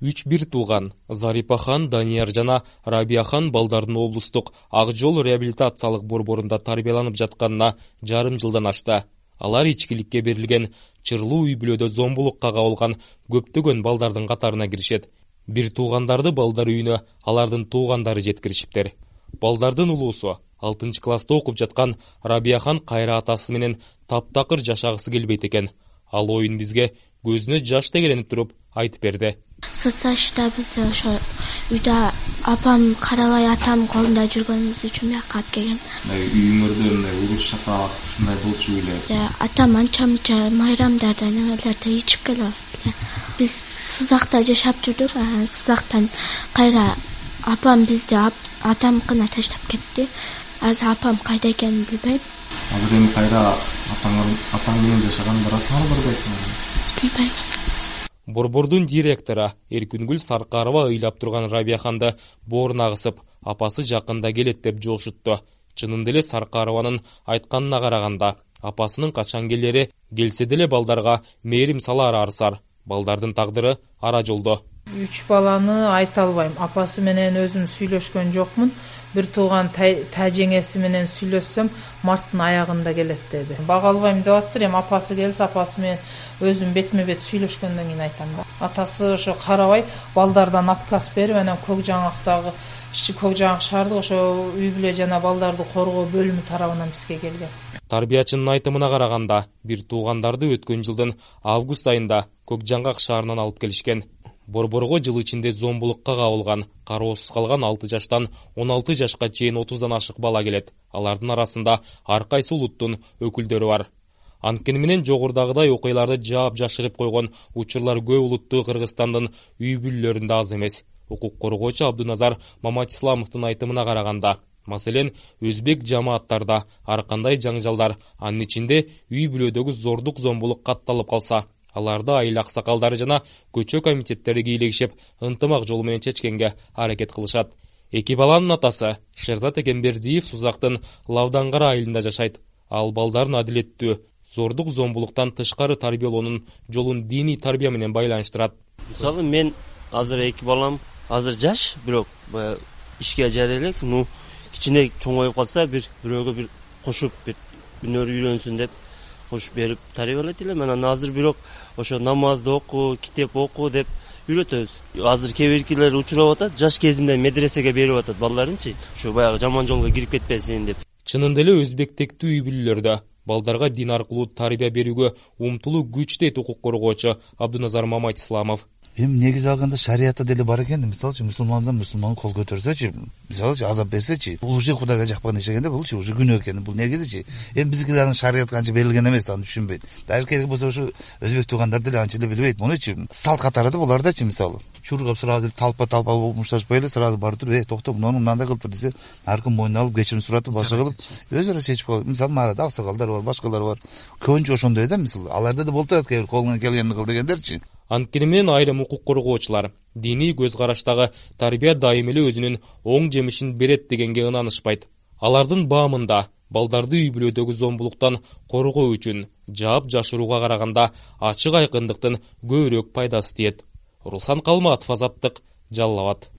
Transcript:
3 бир тууган Зарипахан, Данияр жана Рабияхан балдардын облустук Ак жол реабилитациялык борборунда тарбияланып жатканына жарым жылдан ашты. Алар ичкиликке берилген чырлуу үй-бүлөдө зомбулукка кабылган көптөгөн балдардын катарына киришет. Бир туугандарды балдар үйүнө алардын туугандары жеткиришиптер. Балдардын улуусу 6-класста окуп жаткан Рабияхан кайра атасы менен таптакыр жашагысы келбейт экен. Ал оюн бизге көзүнө жаш тегеленип туруп айтып берди. Соцсачта биз ошо үйдө апам карабай атам колунда жүргөнүбүз үчүн мuyакка алып келген. Үйүңөрдө мындай уруш чапак ушундай болчу беле? Атам анча-мынча майрамдарда немелерде ичип келет. Биз Сызакта жашап жүрдүк. Сызактан кайра апам бизди атамкына таштап кетти. Азыр апам кайда экенин билбейм. Азыр эми кайра атаң менен жашаган барасыңбы, барбайсыңбы? Билбейм. Борбордун директору Эркүнгүл Саркарова ыйлап турган Рабияханды бооруна кысып, апасы жакында келет деп жолшутту. Чынында эле Саркарованын айтканына караганда, апасынын качан келери келсе деле балдарга мээрим салары арсар. Балдардын тагдыры ара жолдо. 3 баланы айта албайм. Апасы менен өзүм сүйлөшкөн жокмун. Бир тууган тажеңеси менен сүйлөшсөм, марттын аягында келет деди. Бага албайм деп аттыр. Эми апасы келсе, апасы менен өзүм бетме-бет сүйлөшкөндөн кийин айтам да. Атасы ошо карабай балдардан отказ берип, анан Көк Жаңак шаардык ошо үй-бүлө жана балдарды коргоо бөлүмү тарабынан бизге келген. Тарбиячынын айтымына караганда, бир туугандарды өткөн жылдын август айында Көк Жаңак шаарынан алып келишкен. Борборго жыл ичинде зомбулукка кабылган, кароосуз калган 6 жаштан 16 жашка чейин 30дан ашык бала келет. Алардын арасында ар кайсы улуттун өкүлдөрү бар. Анткени менен жогорудагыдай окуяларды жаап жашырып койгон учурлар көп улуттуу Кыргызстандын үй-бүлөлөрүндө аз эмес. Укук коргоочу Абдуназар Маматисламовдун айтымына караганда, маселен, өзбек жамааттарда ар кандай жаңжалдар, анын ичинде үй-бүлөдөгү зордук зомбулук катталып калса, аларды айыл аксакалдары жана көчө комитеттери кийлегишип, ынтымак жолу менен чечкенге аракет кылышат. Эки баланын атасы Шерзат Экенбердиев Сузактын Лавдангара айылында жашайт. Ал балдарын адилеттүү, зордук зомбулуктан тышкары тарбиялоонун жолун диний тарбия менен байланыштырат. Мисалы, мен азыр 2 балам азыр жаш, бирок ишке жарай элек, кичине чоңоюп калса, бирөөгө бир кошуп, бир өнөр үйрөнсүн деп кош берип тарбиялайт элем. Анан азыр бирок ошо намазды оку, китеп оку деп үйрөтөбүз. Азыр кээ биркилер учурап атат, жаш кезинде медресеге берип атат балдарынчы, ушу баягы жаман жолго кирип кетпесин деп. Чынында эле өзбектектүү үй-бүлөлөрдө балдарга дин аркылуу тарбия берүүгө умтулуу күч дейт укук коргоочу Абдуназар Маматисламов. Эми негизи алганда шариятта деле бар экен. Мисалчы мусулмандан кол көтөрсөчү, мисалчы азап берсечи, бул уже Кудайга жакпаган иш экенде, бул уже күнөө экен. Бул негизичи. Эми бизге анын шарият канча берилген эмес, аны түшүнбөйт. Дагы керек болсо ушу өзбек туугандар деле анча эле билбейт. Мунучу салт катары да булардачы, мисалы. Чургап сразу талпа мушташпай эле сразу барып туруп, токто, муну мындай кылып тур десе, аркын мойнуна алып кечирим суратып, башка кылып, өзүрө чечип коет. Мисалы, мага аксакалдар бар, башкалар бар. Көбүнчө ошондой да, мисалы. Аларда да болуп турат, кээ бир колуңан келгенин кыл дегендерчи. Анткени менен айрым укук коргоочулар диний көз караштагы тарбия дайым эле өзүнүн оң жемишин берет дегенге ынанышпайт. Алардын баамында балдарды үй-бүлөдөгү зомбулуктан коргоо үчүн жаап жашырууга караганда ачык айкындыктын көбүрөөк пайдасы тиет. Руслан Калматов, Азаттык, Жалал Абад.